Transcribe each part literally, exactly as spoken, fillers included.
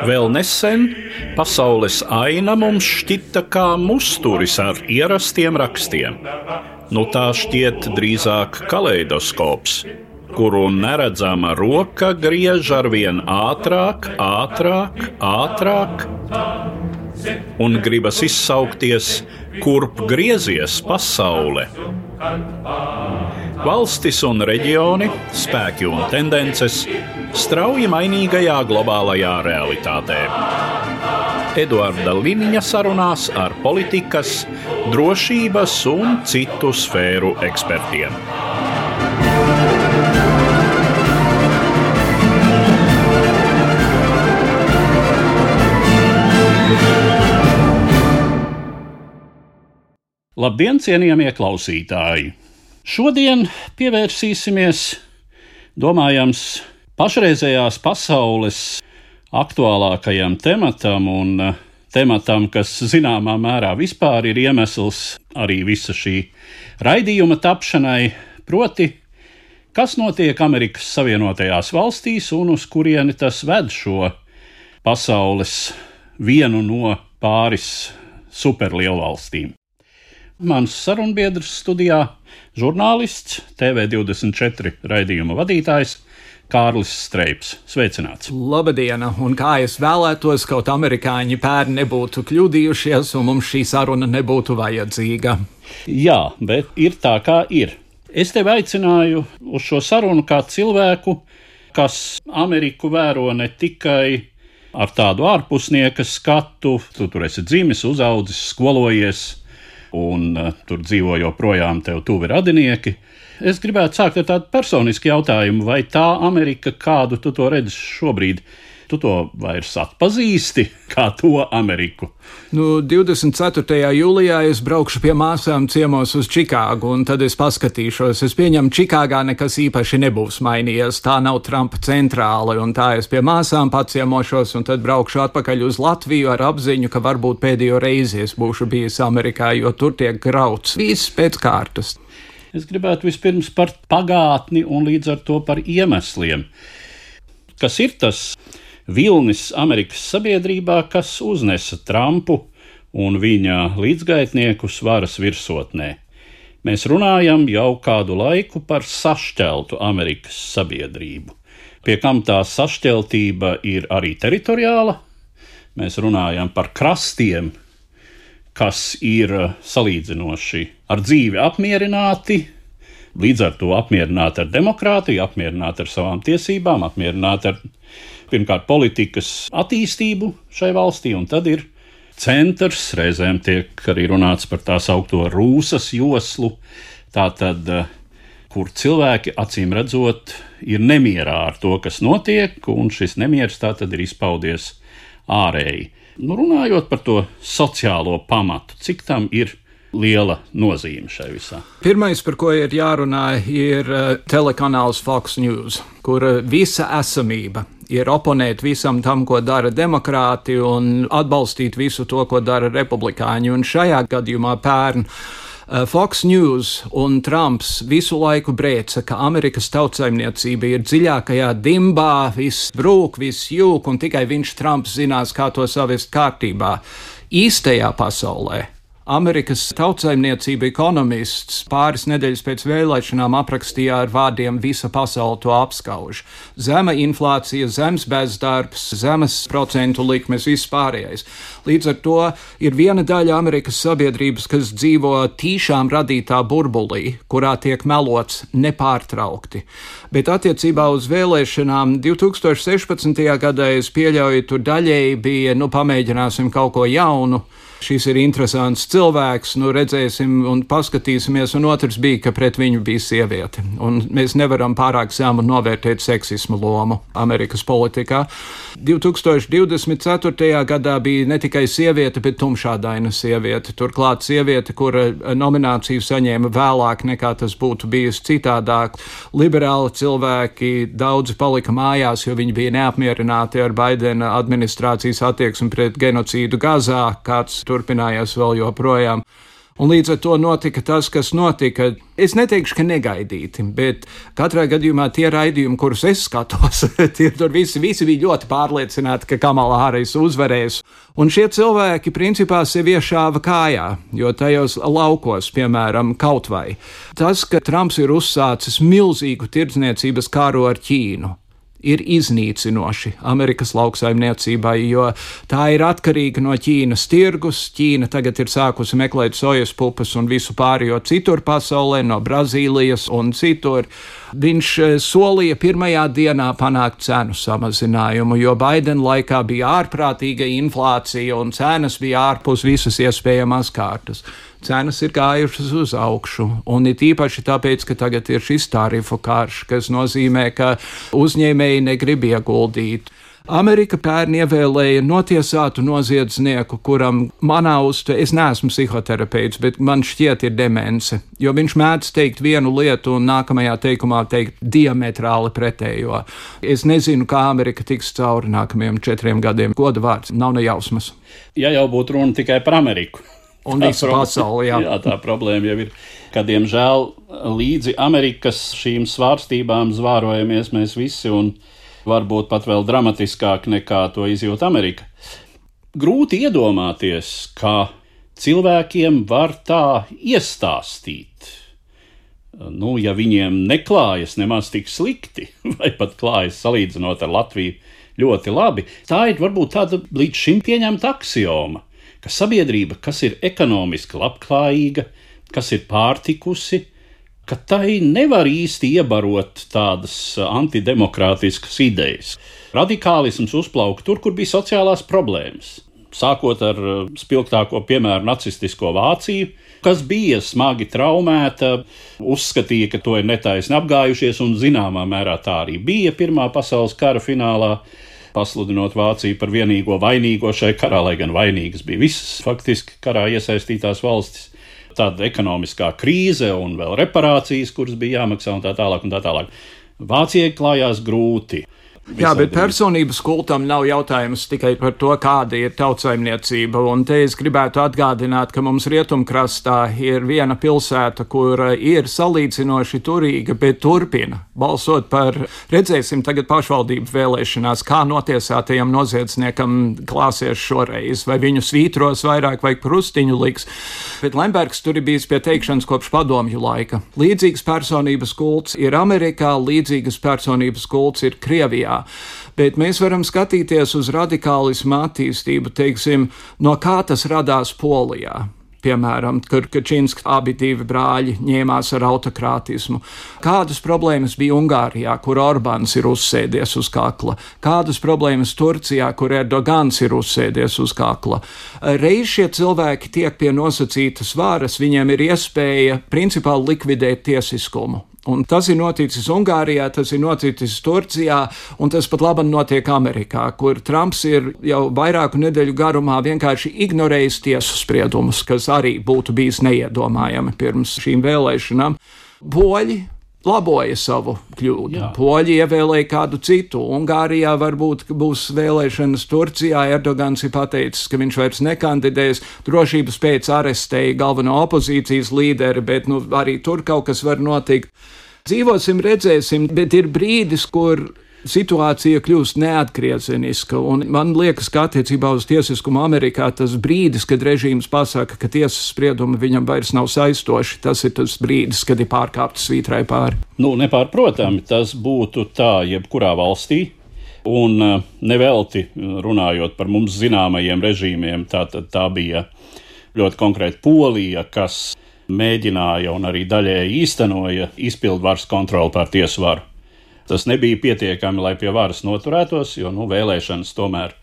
Vēl nesen pasaules aina mums šķita kā musturis ar ierastiem rakstiem. Nu tā šķiet drīzāk kaleidoskops, kuru neredzama roka griež arvien ātrāk, ātrāk, ātrāk, un gribas izsaukties, kurp griezies pasaule. Valstis un reģioni, spēki un tendences strauji mainīgajā globālajā realitātē. Eduarda Liniņa sarunās ar politikas, drošības un citu sfēru ekspertiem. Labdien, cienījamie klausītāji! Šodien pievērsīsimies, domājams, pašreizējās pasaules aktuālākajam tematam un tematam, kas zināmā mērā vispār ir iemesls arī visa šī raidījuma tapšanai, proti, kas notiek Amerikas Savienotajās valstīs un uz kurieni tas ved šo pasaules vienu no pāris superlielvalstīm. Mans sarunbiedrs studijā žurnālists, T V divdesmit četri raidījuma vadītājs Kārlis Streips. Sveicināts! Labadiena, un kā es vēlētos, kaut amerikāņi pērn nebūtu kļūdījušies un mums šī saruna nebūtu vajadzīga. Jā, bet ir tā, kā ir. Es tevi aicināju uz šo sarunu kā cilvēku, kas Ameriku vēro ne tikai ar tādu ārpusnieka skatu, tu tur esi dzimis, uzaudzis, skolojies, un uh, tur dzīvo joprojām tev tuvi radinieki. Es gribētu sākt ar tādu personisku jautājumu, vai tā Amerika, kādu tu to redzi šobrīd, tu to vairs atpazīsti kā to Ameriku? Nu, divdesmit ceturtajā jūlijā es braukšu pie māsām ciemos uz Čikāgu, un tad es paskatīšos. Es pieņemu, Čikāgā nekas īpaši nebūs mainījies, tā nav Trumpa centrāla, un tā es pie māsām paciemošos, un tad braukšu atpakaļ uz Latviju ar apziņu, ka varbūt pēdējo reizi es būšu bijis Amerikā, jo tur tiek grauts viss pēc kārtas. Es gribētu vispirms par pagātni un līdz ar to par iemesliem. Kas ir tas vilnis Amerikas sabiedrībā, kas uznesa Trumpu un viņa līdzgaitniekus varas virsotnē? Mēs runājam jau kādu laiku par sašķeltu Amerikas sabiedrību, pie kam tā sašķeltība ir arī teritoriāla. Mēs runājam par krastiem, kas ir salīdzinoši ar dzīvi apmierināti, līdz ar to apmierināti ar demokrātiju, apmierināti ar savām tiesībām, apmierināti ar pirmkārt politikas attīstību šai valstī, un tad ir centrs, reizēm tiek arī runāts par tā saukto Rūsas joslu, tātad, kur cilvēki acīm redzot ir nemierā ar to, kas notiek, un šis nemieris tātad ir izpaudies ārēji. Nu, runājot par to sociālo pamatu, cik tam ir liela nozīme šai visā? Pirmais, par ko ir jārunā, ir telekanāls Fox News, kur visa esamība ir oponēt visam tam, ko dara demokrāti, un atbalstīt visu to, ko dara republikāņi. Un šajā gadījumā pērn Fox News un Trumps visu laiku brēca, ka Amerikas tautsaimniecība ir dziļākajā dimbā, viss brūk, viss jūk, un tikai viņš, Trumps, zinās, kā to savest kārtībā. Īstajā pasaulē Amerikas tautsaimniecība ekonomists pāris nedēļas pēc vēlēšanām aprakstīja ar vārdiem visa pasaule to apskauž. Zema inflācija, zems bezdarbs, zemes procentu likmes, viss pārējais. Līdz ar to ir viena daļa Amerikas sabiedrības, kas dzīvo tīšām radītā burbulī, kurā tiek melots nepārtraukti. Bet attiecībā uz vēlēšanām divi tūkstoši sešpadsmitajā gadā es pieļauju, tur daļēji bija, nu pamēģināsim kaut ko jaunu. Šis ir interesants cilvēks, nu redzēsim un paskatīsimies, un otrs bija, ka pret viņu bija sieviete. Un mēs nevaram pārāk zemu novērtēt seksismu lomu Amerikas politikā. divi tūkstoši divdesmit ceturtajā gadā bija ne tikai sieviete, bet tumšādaina sieviete. Turklāt sieviete, kura nomināciju saņēma vēlāk nekā tas būtu bijis citādāk. Liberāli cilvēki daudzi palika mājās, jo viņi bija neapmierināti ar Baidena administrācijas attieksmi pret genocīdu Gazā, kāds turpinājās vēl joprojām. Un līdz ar to notika tas, kas notika. Es neteikšu, ka negaidīti, bet katrā gadījumā tie raidījumi, kurus es skatos, tie tur visi, visi bija ļoti pārliecināti, ka Kamala Harris uzvarēs. Un šie cilvēki principā sevi iešāva kājā, jo tajos laukos, piemēram, kaut vai tas, ka Trumps ir uzsācis milzīgu tirdzniecības kāru ar Ķīnu, ir iznīcinoši Amerikas lauksaimniecībai, jo tā ir atkarīga no Ķīnas tirgus. Ķīna tagad ir sākusi meklēt sojas pupas un visu pārējo citur pasaulē, no Brazīlijas un citur. Viņš solīja pirmajā dienā panākt cenu samazinājumu, jo Baidena laikā bija ārprātīga inflācija un cenas bija ārpus visas iespējamās kārtas. Cenas ir gājušas uz augšu, un it īpaši tāpēc, ka tagad ir šis tarifu karš, kas nozīmē, ka uzņēmēji negrib ieguldīt. Amerika pērn ievēlēja notiesātu noziedznieku, kuram manā uztverē, es neesmu psihoterapeits, bet man šķiet ir demence, jo viņš mēdz teikt vienu lietu un nākamajā teikumā teikt diametrāli pretējo. Es nezinu, kā Amerika tiks cauri nākamajiem četriem gadiem. Goda vārds, nav ne jausmas. Ja jau būtu runa tikai par Ameriku. Un visu pasauli, jā. jā, tā problēma jau ir, ka, diemžēl, līdzi Amerikas šīm svārstībām zvārojamies mēs visi, un varbūt pat vēl dramatiskāk nekā to izjūt Amerika. Grūti iedomāties, ka cilvēkiem var tā iestāstīt. Nu, ja viņiem neklājas nemaz tik slikti, vai pat klājas salīdzinot ar Latviju ļoti labi, tā ir varbūt tāda līdz šim pieņemta aksioma, ka sabiedrība, kas ir ekonomiski labklājīga, kas ir pārtikusi, ka tai nevar īsti iebarot tādas antidemokrātiskas idejas. Radikālisms uzplauka tur, kur bija sociālās problēmas. Sākot ar spilgtāko piemēru nacistisko Vāciju, kas bija smagi traumēta, uzskatīja, ka to ir netaisni apgājušies, un zināmā mērā tā arī bija Pirmā pasaules kara finālā, pasludinot Vāciju par vienīgo vainīgo šai karā, lai gan vainīgas bija visas faktiski karā iesaistītās valstis. Tāda ekonomiskā krīze un vēl reparācijas, kuras bija jāmaksā un tā tālāk un tā tālāk. Vācijai klājās grūti. Jā, bet personības kultam nav jautājums tikai par to, kāda ir tautsaimniecība, un te es gribētu atgādināt, ka mums rietumkrastā ir viena pilsēta, kur ir salīdzinoši turīga, bet turpina balsot par, redzēsim tagad pašvaldību vēlēšanās, kā notiesātajam noziedzniekam klāsies šoreiz, vai viņu svītros vairāk vai krustiņu liks, bet Lembergs tur ir bijis pie teikšanas kopš padomju laika. Līdzīgas personības kults ir Amerikā, līdzīgas personības kults ir Krievijā. Bet mēs varam skatīties uz radikālismu attīstību, teiksim, no kā tas radās Polijā. Piemēram, kur Kačinski abi divi brāļi ņēmās ar autokrātismu. Kādas problēmas bija Ungārijā, kur Orbāns ir uzsēdies uz kakla? Kādas problēmas Turcijā, kur Erdogans ir uzsēdies uz kakla? Reiz šie cilvēki tiek pie nosacītas varas, viņiem ir iespēja principāli likvidēt tiesiskumu. Un tas ir noticis Ungārijā, tas ir noticis Turcijā, un tas pat labi notiek Amerikā, kur Trumps ir jau vairāku nedēļu garumā vienkārši ignorējis tiesu spriedumus, kas arī būtu bijis neiedomājami pirms šīm vēlēšanām. Poļi laboja savu kļūdu. Jā. Poļi ievēlēja kādu citu. Ungārijā varbūt būs vēlēšanas, Turcijā Erdogans ir pateicis, ka viņš vairs nekandidēs, drošības pēc arestēja galveno opozīcijas līderi, bet nu, arī tur kaut kas var notikt. Dzīvosim, redzēsim, bet ir brīdis, kur situācija kļūst neatgriezeniska, un man liekas, ka attiecībā uz tiesiskumu Amerikā tas brīdis, kad režīms pasaka, ka tiesas spriedumi viņam vairs nav saistoši, tas ir tas brīdis, kad ir pārkāptas svītrai pāri. Nu, nepārprotami, tas būtu tā jebkurā valstī, un nevelti runājot par mums zināmajiem režīmiem, tā, tā, tā bija ļoti konkrēti Polija, kas mēģināja un arī daļēji īstenoja izpildvaras kontroli pār tiesu varu. Tas nebija pietiekami, lai pie varas noturētos, jo nu, vēlēšanas tomēr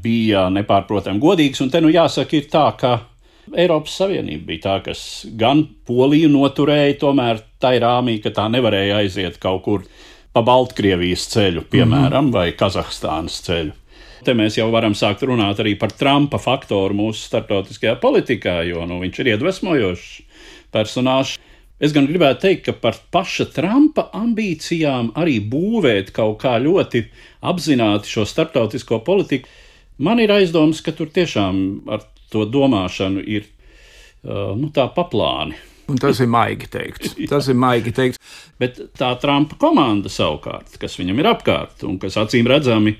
bija nepārprotami godīgas. Un te nu jāsaka ir tā, ka Eiropas Savienība bija tā, kas gan Poliju noturēja tomēr tai rāmī, ka tā nevarēja aiziet kaut kur pa Baltkrievijas ceļu, piemēram, mm-hmm. vai Kazahstānas ceļu. Te mēs jau varam sākt runāt arī par Trumpa faktoru mūsu starptautiskajā politikā, jo nu, viņš ir iedvesmojošs personāžs. Es gan gribētu teikt, ka par paša Trumpa ambīcijām arī būvēt kaut kā ļoti apzināti šo starptautisko politiku, man ir aizdomas, ka tur tiešām ar to domāšanu ir uh, nu, tā paplāni. Un tas ir maigi teikts. Tas ir maigi teikts. Bet tā Trumpa komanda savukārt, kas viņam ir apkārt un kas acīm redzami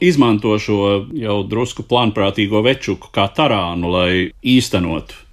izmanto šo jau drusku plānprātīgo večuku kā tarānu, lai īstenotu.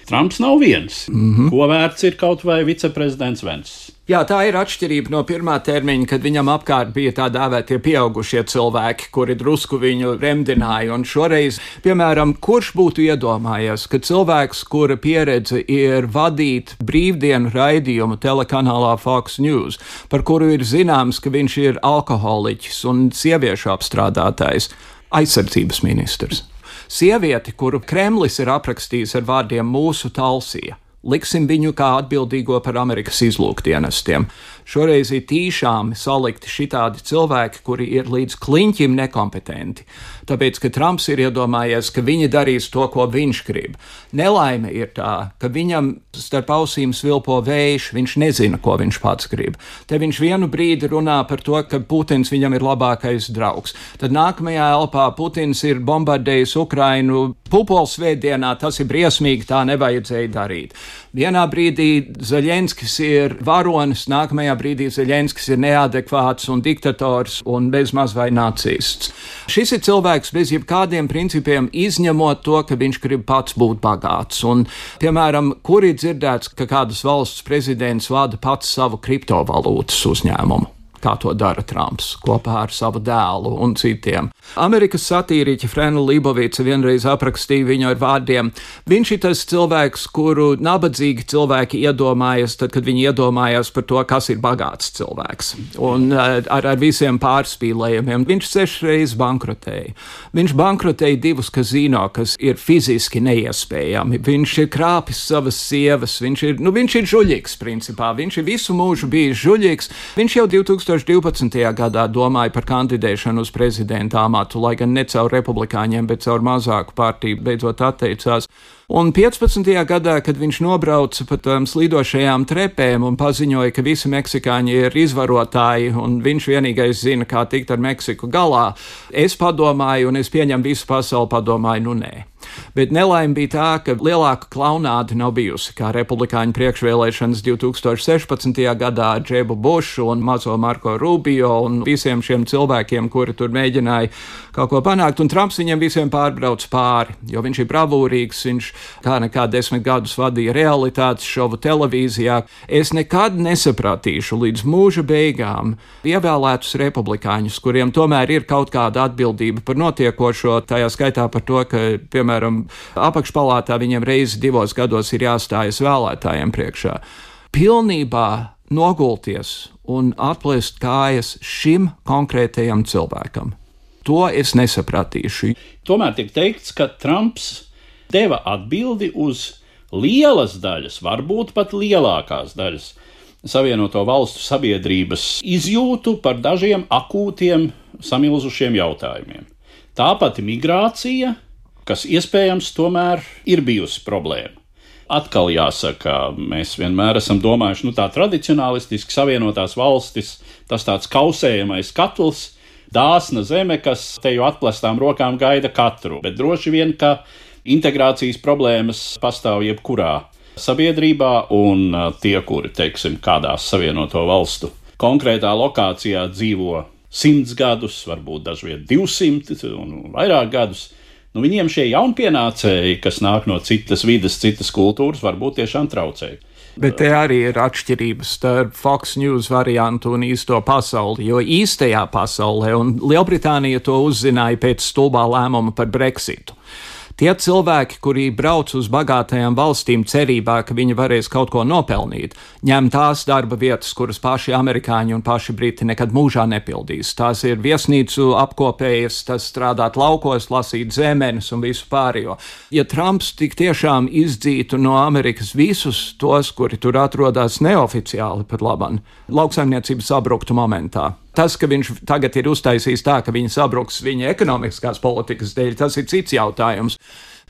Trumps nav viens. Mm-hmm. Ko vērts ir kaut vai viceprezidents Vents? Jā, tā ir atšķirība no pirmā termiņa, kad viņam apkārt bija tā dēvētie pieaugušie cilvēki, kuri drusku viņu remdināja. Un šoreiz, piemēram, kurš būtu iedomājies, ka cilvēks, kura pieredze ir vadīt brīvdienu raidījumu telekanālā Fox News, par kuru ir zināms, ka viņš ir alkoholiķis un sieviešu apstrādātājs, aizsardzības ministrs. Sievieti, kuru Kremlis ir aprakstījis ar vārdiem mūsu Talsija. Liksim viņu kā atbildīgo par Amerikas izlūkdienestiem. Šoreiz ir tīšām salikti šitādi cilvēki, kuri ir līdz kliņķim nekompetenti. Tāpēc, ka Trumps ir iedomājies, ka viņi darīs to, ko viņš grib. Nelaime ir tā, ka viņam starp ausīm svilpo vējš, viņš nezina, ko viņš pats grib. Te viņš vienu brīdi runā par to, ka Putins viņam ir labākais draugs. Tad nākamajā elpā Putins ir bombardējis Ukrainu Pupolsvētdienā, tas ir briesmīgi, tā nevajadzēja darīt. Vienā brīdī Zeļenskis ir varonis, nākamajā brīdī Zeļenskis ir neadekvāts un diktators un bezmaz vai nacists. Šis ir cilvēks bez jebkādiem principiem, izņemot to, ka viņš grib pats būt bagāts. Un, piemēram, kur ir dzirdēts, ka kādas valsts prezidents vada pats savu kriptovalūtas uzņēmumu? Kā to dara Trumps kopā ar savu dēlu un citiem. Amerikas satīriķa Frena Libovica vienreiz aprakstīja viņu ar vārdiem: viņš ir tas cilvēks, kuru nabadzīgi cilvēki iedomājas, tad, kad viņi iedomājas par to, kas ir bagāts cilvēks. Un ar, ar visiem pārspīlējumiem. Viņš sešreiz bankrotēja. Viņš bankrotēja divus kazino, kas ir fiziski neiespējami. Viņš ir krāpis savas sievas. Viņš ir, nu, viņš ir žuļīgs, principā. Viņš ir visu mūžu bijis žuļīgs. Viņš jau divtūkstoš divpadsmitajā gadā domāja par kandidēšanu uz prezidenta amatu, lai gan ne caur republikāņiem, bet caur mazāku partiju beidzot atteicās. Un piecpadsmitajā gadā, kad viņš nobrauca pa tām slīdošajām trepēm un paziņoja, ka visi meksikāņi ir izvarotāji un viņš vienīgais zina, kā tikt ar Meksiku galā, es padomāju, un es pieņemu visu pasauli, padomāju, nu nē. Bet nelaime bija tā, ka lielāka klaunāde nav bijusi, kā republikāņu priekšvēlēšanas divtūkstoš sešpadsmitajā gadā ar Džebu Bušu un mazo Marko Rubio un visiem šiem cilvēkiem, kuri tur mēģināja kaut ko panākt, un Trumps viņiem visiem pārbrauc pāri, jo viņš ir bravūrīgs, viņš kā nekā desmit gadus vadīja realitātes šovu televīzijā. Es nekad nesapratīšu līdz mūža beigām ievēlētus republikāņus, kuriem tomēr ir kaut kāda atbildība par notiekošo, tajā skaitā par to, ka, piemēram, apakšpalātā viņiem reizi divos gados ir jāstājas vēlētājiem priekšā. Pilnībā nogulties un atplēst kājas šim konkrētajam cilvēkam. To es nesapratīšu. Tomēr tiek teikts, ka Trumps deva atbildi uz lielas daļas, varbūt pat lielākās daļas Savienoto Valstu sabiedrības izjūtu par dažiem akūtiem samilzušiem jautājumiem. Tāpat migrācija, kas iespējams tomēr ir bijusi problēma. Atkal jāsaka, mēs vienmēr esam domājuši, nu tā tradicionālistiski Savienotās Valstis, tas tāds kausējamais katls, dāsna zeme, kas teju atplestām rokām gaida katru, bet droši vien, ka integrācijas problēmas pastāv jebkurā sabiedrībā, un tie, kuri, teiksim, kādās Savienoto Valstu konkrētā lokācijā dzīvo simts gadus, varbūt dažviet divsimt un vairāk gadus, nu viņiem šie jaunpienācēji, kas nāk no citas vides, citas kultūras, varbūt tiešām traucēja. Bet te arī ir atšķirības starp Fox News variantu un īsto pasauli, jo īstajā pasaulē, un Lielbritānija to uzzināja pēc stulbā lēmuma par Brexitu. Tie cilvēki, kuri brauc uz bagātajām valstīm cerībā, ka viņi varēs kaut ko nopelnīt, ņem tās darba vietas, kuras paši amerikāņi un paši briti nekad mūžā nepildīs. Tās ir viesnīcu apkopējas, tas strādāt laukos, lasīt zemenes un visu pārējo. Ja Trumps tik tiešām izdzītu no Amerikas visus tos, kuri tur atrodas neoficiāli pat labam, lauksaimniecība sabruktu momentā. Tas, ka viņš tagad ir uztaisījis tā, ka viņi sabruks viņa ekonomiskās politikas dēļ, tas ir cits jautājums.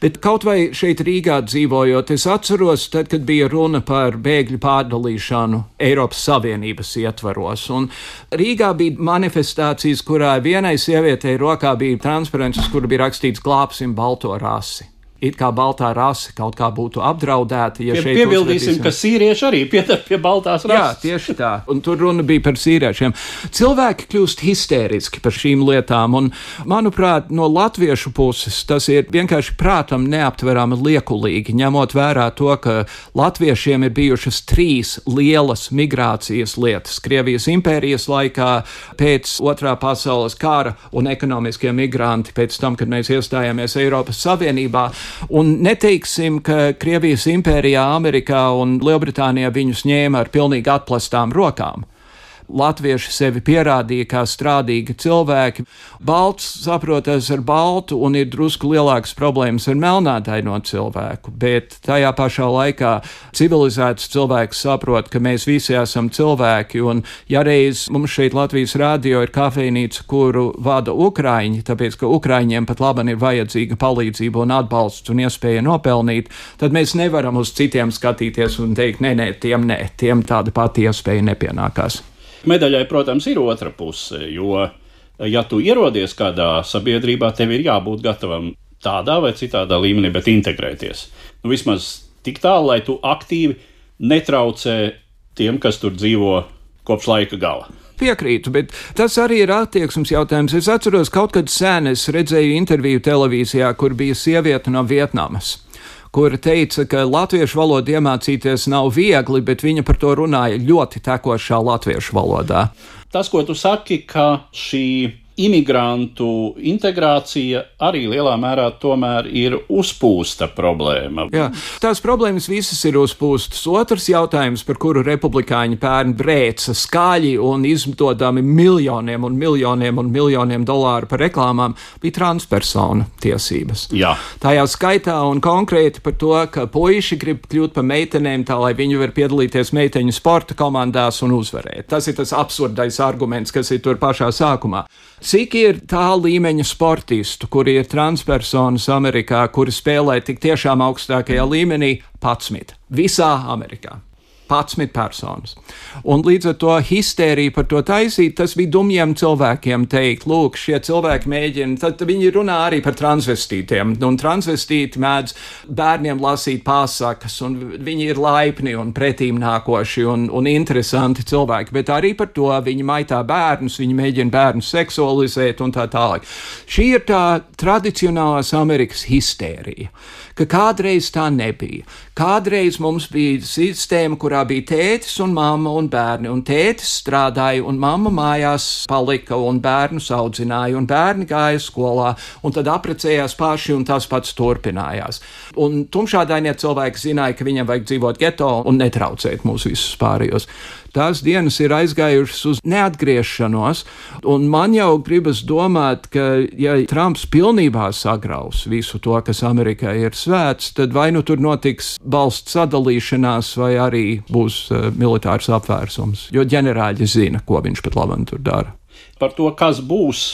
Bet kaut vai šeit Rīgā dzīvojot, es atceros, tad, kad bija runa par bēgļu pārdalīšanu Eiropas Savienības ietvaros. Un Rīgā bija manifestācijas, kurā vienai sievietei rokā bija transparents, kur bija rakstīts glābsim balto rasi. it kā baltā rase kaut kā būtu apdraudēta. Ja Pie, piebildīsim, uzvedīsim... ka sīrieši arī pieder pie baltās rases. Jā, tieši tā. Un tur runa bija par sīriešiem. Cilvēki kļūst histēriski par šīm lietām, un, manuprāt, no latviešu puses tas ir vienkārši prātam neaptverami liekulīgi, ņemot vērā to, ka latviešiem ir bijušas trīs lielas migrācijas lietas Krievijas impērijas laikā, pēc otrā pasaules kara un ekonomiskie migranti pēc tam, kad mēs iestājāmies Eiropas Savienībā. Un neteiksim, ka Krievijas impērijā, Amerikā un Lielbritānijā viņus ņēma ar pilnīgi atplestām rokām. Latvieši sevi pierādīja kā strādīgi cilvēki. Balts saprotas ar baltu un ir drusku lielākas problēmas ar melnādaino cilvēku, bet tajā pašā laikā civilizēts cilvēks saprot, ka mēs visi esam cilvēki, un ja reiz mums šeit Latvijas radio ir kafejnīca, kuru vada Ukraiņi, tāpēc, ka Ukraiņiem pat laban ir vajadzīga palīdzība un atbalsts un iespēja nopelnīt, tad mēs nevaram uz citiem skatīties un teikt, nē, nē, tiem nē, tiem tāda pati iespēja nepienākās. Medaļai, protams, ir otra puse, jo, ja tu ierodies kādā sabiedrībā, tev ir jābūt gatavam tādā vai citādā līmenī, bet integrēties. Nu, vismaz tik tālu, lai tu aktīvi netraucē tiem, kas tur dzīvo kopš laika gala. Piekrītu, bet tas arī ir attieksmes jautājums. Es atceros, kaut kad sen es redzēju interviju televīzijā, kur bija sieviete no Vietnamas, kura teica, ka latviešu valodu iemācīties nav viegli, bet viņa par to runāja ļoti tekošā latviešu valodā. Tas, ko tu saki, ka šī imigrantu integrācija arī lielā mērā tomēr ir uzpūsta problēma. Jā, tās problēmas visas ir uzpūstas. Otrs jautājums, par kuru republikāņi pērn brēca skaļi un izmantodami miljoniem un miljoniem un miljoniem dolāru par reklāmām, bija transpersonu tiesības. Jā. Tajā skaitā un konkrēti par to, ka puiši grib kļūt par meitenēm tā, lai viņi var piedalīties meiteņu sporta komandās un uzvarēt. Tas ir tas absurdais arguments, kas ir tur pašā sākumā. Cik ir tā līmeņa sportistu, kuri ir transpersonas Amerikā, kuri spēlē tik tiešām augstākajā līmenī? padsmit. Visā Amerikā. padsmit personas. Un līdz ar to histēriju par to taisīt, tas bija dumjiem cilvēkiem teikt, lūk, šie cilvēki mēģina, tad viņi runā arī par transvestītiem, un transvestīti mēdz bērniem lasīt pasakas, un viņi ir laipni un pretīm nākoši un, un interesanti cilvēki, bet arī par to viņi maitā bērnus, viņi mēģina bērnus seksualizēt un tā tālāk. Šī ir tā tradicionālās Amerikas histērija, ka kādreiz tā nebija. Kādreiz mums bija sistēma, kurā bija tētis un mamma un bērni, un tētis strādāja, un mamma mājās palika, un bērnus audzināja, un bērni gāja skolā, un tad apprecējās paši, un tas pats turpinājās. Un tumšādainie cilvēki zināja, ka viņam vajag dzīvot geto un netraucēt mūs visus pārējos. Tās dienas ir aizgājušas uz neatgriešanos, un man jau gribas domāt, ka ja Trumps pilnībā sagraus visu to, kas Amerikā ir svēts, tad vai nu tur notiks valsts sadalīšanās, vai arī būs uh, militārs apvērsums, jo ģenerāļi zina, ko viņš pat labam tur dara. Par to, kas būs,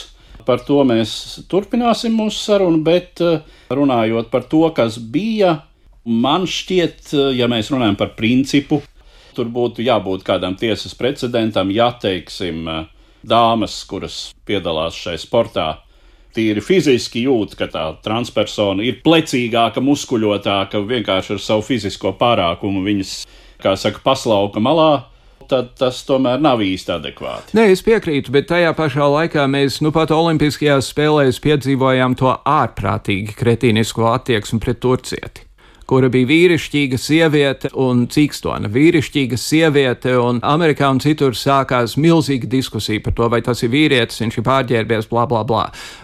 par to mēs turpināsim mūsu sarunu, bet uh, runājot par to, kas bija, man šķiet, uh, ja mēs runājam par principu, tur būtu jābūt kādam tiesas precedentam, ja, teiksim, dāmas, kuras piedalās šai sportā, tīri fiziski jūt, ka tā transpersona ir plecīgāka, muskuļotāka, vienkārši ar savu fizisko pārākumu viņas, kā saka, paslauka malā, tad tas tomēr nav īsti adekvāti. Nē, es piekrītu, bet tajā pašā laikā mēs nu pat olimpiskajās spēlēs piedzīvojām to ārprātīgi kretīnisko attieksmi pret turcieti, kura bija vīrišķīga sieviete un cīkstona. Vīrišķīga sieviete, un Amerikā un citur sākās milzīga diskusija par to, vai tas ir vīrietis, viņš ir pārģērbies, blā, blā, blā.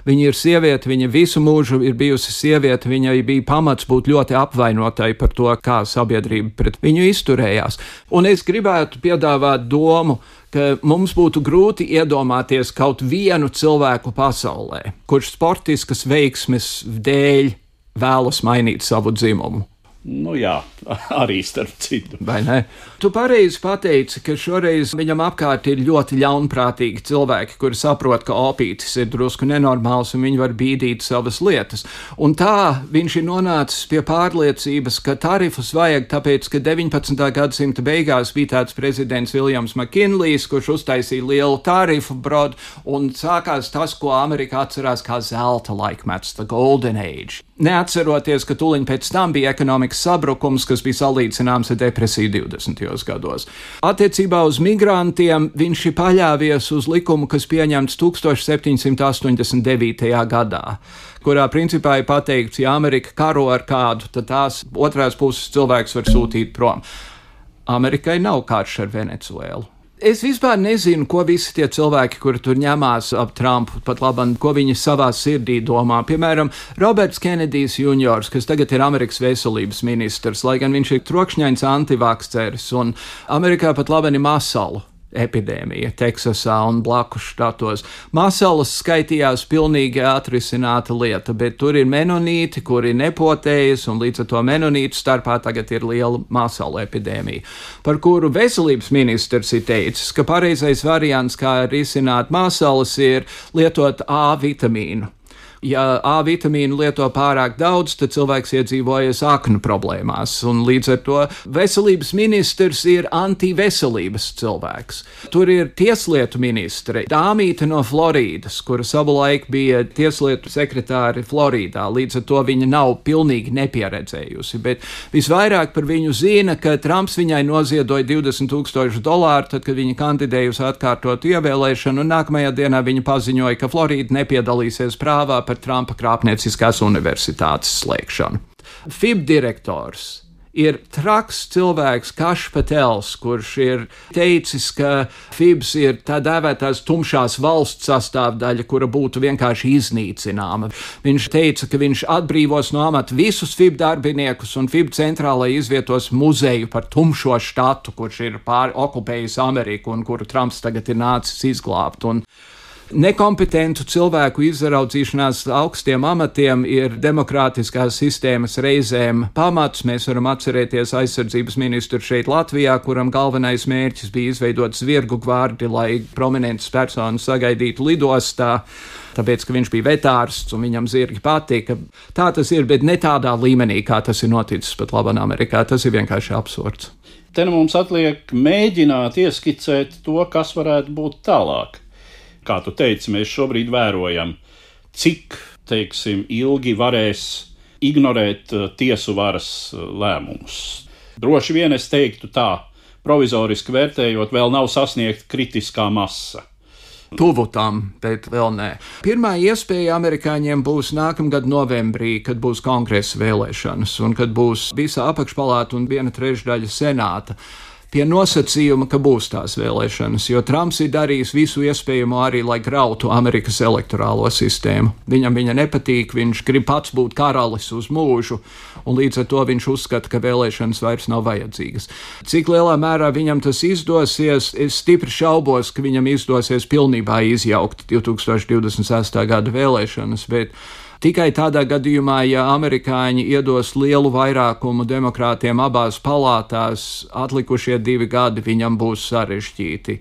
Viņa ir sieviete, viņa visu mūžu ir bijusi sieviete, viņai bija pamats būt ļoti apvainotai par to, kā sabiedrība pret viņu izturējās. Un es gribētu piedāvāt domu, ka mums būtu grūti iedomāties kaut vienu cilvēku pasaulē, kurš sportiskas veiksmes dēļ vēlas mainīt savu dzimumu. Nu jā, arī starp citu. Vai ne? Tu pareizi pateici, ka šoreiz viņam apkārt ir ļoti ļaunprātīgi cilvēki, kuri saprot, ka opītis ir drusku nenormāls un viņi var bīdīt savas lietas. Un tā viņš ir nonācis pie pārliecības, ka tarifus vajag tāpēc, ka deviņpadsmitā gadsimta beigās bija tāds prezidents Viljams Makinlijs, kurš uztaisīja lielu tarifu brodu, un sākās tas, ko Amerika atcerās kā zelta laikmets, the golden age. Neatceroties, ka tūliņ pēc tam bija ekonomikas sabrukums, kas bija salīdzināms ar depresiju divdesmitajos gados. Attiecībā uz migrantiem viņš ir paļāvies uz likumu, kas pieņemts tūkstoš septiņsimt astoņdesmit devītajā gadā, kurā principā ir pateikts, ja Amerika karo ar kādu, tad tās otrās puses cilvēks var sūtīt prom. Amerikai nav karš ar Venecuēlu. Es vispār nezinu, ko visi tie cilvēki, kuri tur ņemās ap Trumpu, pat labam, ko viņi savā sirdī domā. Piemēram, Roberts Kenedijs juniors, kas tagad ir Amerikas veselības ministrs, lai gan viņš ir trokšņains antivakceris, un Amerikā pat labam ir masalu epidēmija Teksasā un blakus štatos. Masalas skaitījās pilnīgi atrisināta lieta, bet tur ir menonīti, kuri nepotējas, un līdz ar to menonītu starpā tagad ir liela masalu epidēmija, par kuru veselības ministrs ir teicis, ka pareizais variants, kā risināt masalas, ir lietot A vitamīnu. Ja A vitamīnu lieto pārāk daudz, tad cilvēks iedzīvojas aknu problēmās, un līdz ar to veselības ministrs ir antiveselības cilvēks. Tur ir tieslietu ministre, dāmīte no Floridas, kura savulaik bija tieslietu sekretāri Floridā, līdz ar to viņa nav pilnīgi nepieredzējusi, bet visvairāk par viņu zina, ka Trumps viņai noziedoja divdesmit tūkstoši dolāru, tad, kad viņa kandidēja uz atkārtotu ievēlēšanu, un nākamajā dienā viņa paziņoja, ka Florida nepiedalīsies prāvā par Trumpa krāpnieciskās universitātes slēgšanu. F I B direktors ir traks cilvēks Kašs Patels, kurš ir teicis, ka F I Bs ir tā dēvētās tumšās valsts sastāvdaļa, kura būtu vienkārši iznīcināma. Viņš teica, ka viņš atbrīvos no amata visus F I B darbiniekus un F I B centrālai izvietos muzeju par tumšo štatu, kurš ir pāri okupējis Ameriku un kuru Trumps tagad ir nācis izglābt. Un nekompetentu cilvēku izraudzīšanās augstiem amatiem ir demokrātiskās sistēmas reizēm pamats. Mēs varam atcerēties aizsardzības ministru šeit Latvijā, kuram galvenais mērķis bija izveidot zvirgu gvardi, lai prominentas personas sagaidītu lidostā, tāpēc, ka viņš bija vetārsts un viņam zirgi patika. Tā tas ir, bet ne tādā līmenī, kā tas ir noticis pat labāk Amerikā. Tas ir vienkārši absurds. Te nu mums atliek mēģināt ieskicēt to, kas varētu būt tālāk. Kā tu teici, mēs šobrīd vērojam, cik, teiksim, ilgi varēs ignorēt tiesu varas lēmumus. Droši vien es teiktu tā, provizoriski vērtējot, vēl nav sasniegta kritiskā masa. Tuvu tam, bet vēl nē. Pirmā iespēja amerikāņiem būs nākamgad novembrī, kad būs kongresa vēlēšanas un kad būs visa apakšpalāta un viena trešdaļa senāta. Pie nosacījuma, ka būs tās vēlēšanas, jo Trumps ir darījis visu iespējamo arī, lai grautu Amerikas elektorālo sistēmu. Viņam viņa nepatīk, viņš grib pats būt karalis uz mūžu, un līdz ar to viņš uzskata, ka vēlēšanas vairs nav vajadzīgas. Cik lielā mērā viņam tas izdosies, es stipri šaubos, ka viņam izdosies pilnībā izjaukt divtūkstoš divdesmit sestā gada vēlēšanas, bet tikai tādā gadījumā, ja amerikāņi iedos lielu vairākumu demokrātiem abās palātās, atlikušie divi gadi viņam būs sarežģīti.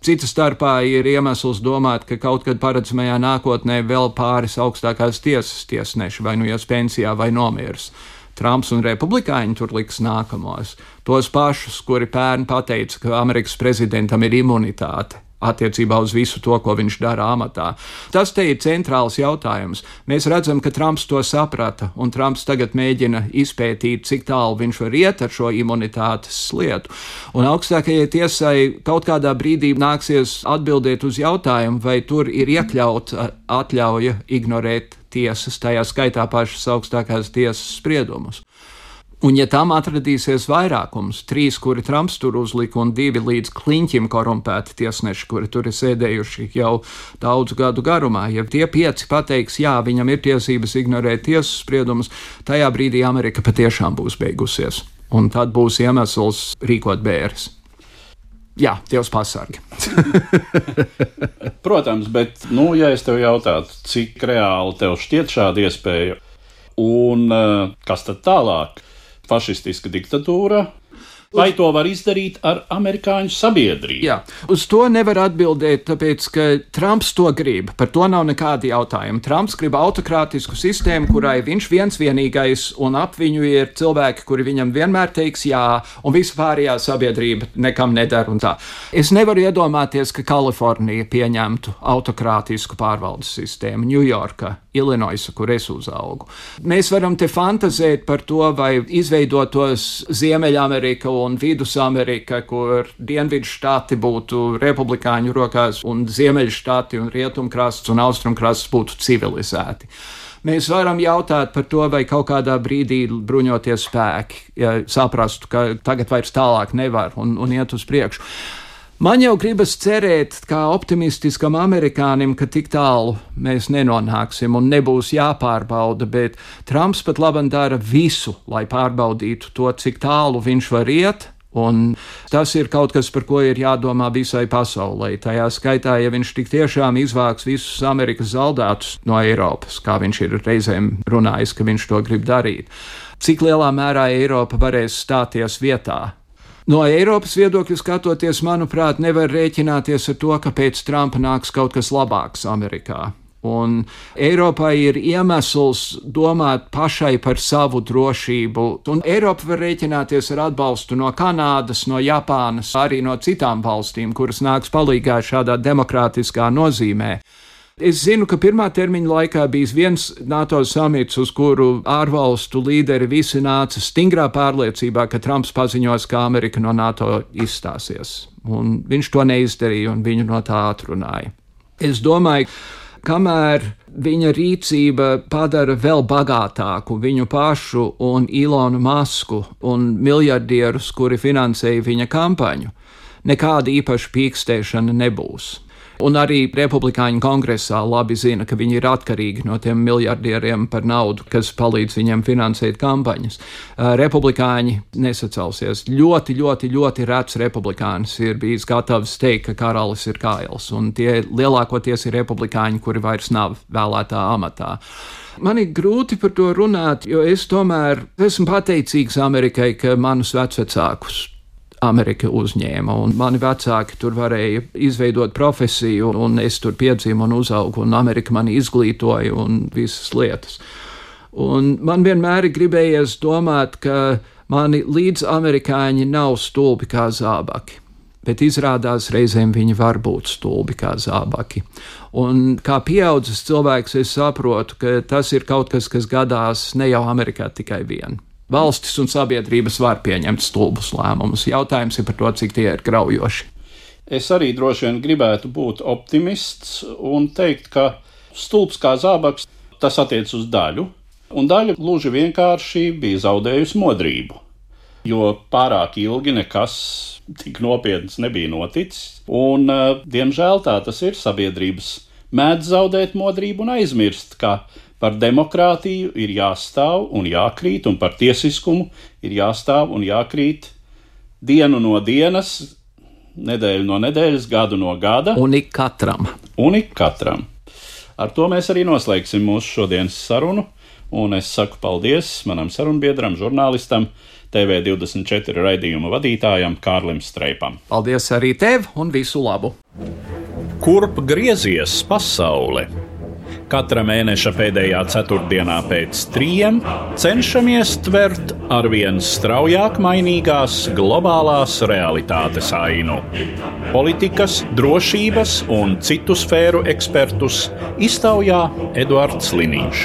Cita starpā ir iemesls domāt, ka kaut kad paredzamajā nākotnē vēl pāris augstākās tiesas tiesneši vai nu ies pensijā vai nomirs. Trumps un republikāņi tur liks nākamos. Tos pašus, kuri pērn pateica, ka Amerikas prezidentam ir imunitāte attiecībā uz visu to, ko viņš dara amatā. Tas te ir centrāls jautājums. Mēs redzam, ka Trumps to saprata, un Trumps tagad mēģina izpētīt, cik tālu viņš var iet ar šo imunitātes lietu. Un augstākajai tiesai kaut kādā brīdī nāksies atbildēt uz jautājumu, vai tur ir iekļauta atļauja ignorēt tiesas, tajā skaitā pašas augstākās tiesas spriedumus. Un ja tam atradīsies vairākums, trīs, kuri Trumps tur uzlika, un divi līdz kliņķim korumpēti tiesneši, kuri tur ir sēdējuši jau daudzu gadu garumā, ja tie pieci pateiks, jā, viņam ir tiesības ignorēt tiesas spriedumus, tajā brīdī Amerika patiešām būs beigusies. Un tad būs iemesls rīkot bēres. Jā, Dievs pasargi. Protams, bet, nu, ja es tev jautātu, cik reāli tev šķiet šāda iespēja, un kas tad tālāk? fašistiska diktatūra. Vai to var izdarīt ar amerikāņu sabiedrību? Jā, uz to nevar atbildēt, tāpēc, ka Trumps to grib. Par to nav nekādi jautājumi. Trumps grib autokrātisku sistēmu, kurai viņš viens vienīgais, un ap viņu ir cilvēki, kuri viņam vienmēr teiks jā, un visa pārējā sabiedrība nekam nedara un tā. Es nevaru iedomāties, ka Kalifornija pieņemtu autokrātisku pārvaldes sistēmu, Ņujorka, Ilinoisa, kur es uzaugu. Mēs varam te fantazēt par to, vai izveidotos Ziemeļamerika un Vidusamerika, kur dienvidu štāti būtu republikāņu rokās un ziemeļu štāti un rietumkrasts un austrumkrasts būtu civilizēti. Mēs varam jautāt par to, vai kaut kādā brīdī bruņoties spēki, ja saprastu, ka tagad vairs tālāk nevar un, un iet uz priekšu. Man jau gribas cerēt, kā optimistiskam amerikānim, ka tik tālu mēs nenonāksim un nebūs jāpārbauda, bet Trumps pat labam dara visu, lai pārbaudītu to, cik tālu viņš var iet, un tas ir kaut kas, par ko ir jādomā visai pasaulē. Tajā skaitā, ja viņš tik tiešām izvāks visus Amerikas zaldātus no Eiropas, kā viņš ir reizēm runājis, ka viņš to grib darīt, cik lielā mērā Eiropa varēs stāties vietā. No Eiropas viedokļa skatoties, manuprāt, nevar rēķināties ar to, ka pēc Trumpa nāks kaut kas labāks Amerikā. Un Eiropai ir iemesls domāt pašai par savu drošību, un Eiropa var rēķināties ar atbalstu no Kanādas, no Japānas, arī no citām valstīm, kuras nāks palīgā šādā demokrātiskā nozīmē. Es zinu, ka pirmā termiņa laikā bijis viens NATO samits, uz kuru ārvalstu līderi visi nāca stingrā pārliecībā, ka Trumps paziņos, ka Amerika no NATO izstāsies. Un viņš to neizdarīja un viņu no tā atrunāja. Es domāju, kamēr viņa rīcība padara vēl bagātāku viņu pašu un Ilonu Masku un miljardierus, kuri finansēja viņa kampaņu, nekāda īpaša pīkstēšana nebūs. Un arī republikāņu kongresā labi zina, ka viņi ir atkarīgi no tiem miljardieriem par naudu, kas palīdz viņiem finansēt kampaņas. Republikāņi nesacelsies. Ļoti, ļoti, ļoti rets republikānis ir bijis gatavs teikt, ka karalis ir kails, un tie lielākoties ir republikāņi, kuri vairs nav vēlētā amatā. Man ir grūti par to runāt, jo es tomēr esmu pateicīgs Amerikai, ka manus vecvecākus Amerika uzņēma, un mani vecāki tur varēja izveidot profesiju, un es tur piedzīvu un uzaugu, un Amerika mani izglītoja un visas lietas. Un man vienmēr ir gribējies domāt, ka mani līdzamerikāņi nav stulbi kā zābaki, bet izrādās reizēm viņi var būt stulbi kā zābaki. Un kā pieaudzis cilvēks es saprotu, ka tas ir kaut kas, kas gadās ne jau Amerikā tikai vien. Valstis un sabiedrības var pieņemt stulbus lēmumus. Jautājums ir par to, cik tie ir graujoši. Es arī droši vien gribētu būt optimists un teikt, ka stulbs kā zābaks, tas attiec uz daļu, un daļa gluži vienkārši bija zaudējusi modrību, jo pārāk ilgi nekas tik nopietns nebija noticis, un, diemžēl, tā tas ir. Sabiedrības mēdz zaudēt modrību un aizmirst, ka par demokrātiju ir jāstāv un jākrīt, un par tiesiskumu ir jāstāv un jākrīt dienu no dienas, nedēļu no nedēļas, gadu no gada. Un ik katram. Un ik katram. Ar to mēs arī noslēgsim mūsu šodienas sarunu, un es saku paldies manam sarunbiedram, žurnālistam, T V divdesmit četri raidījuma vadītājam Kārlim Streipam. Paldies arī tev un visu labu! Kurp griezies pasaule? Katra mēneša pēdējā ceturtdienā pēc trījiem cenšamies tvert arvien straujāk mainīgās globālās realitātes ainu. Politikas, drošības un citu sfēru ekspertus iztaujā Eduards Liniņš.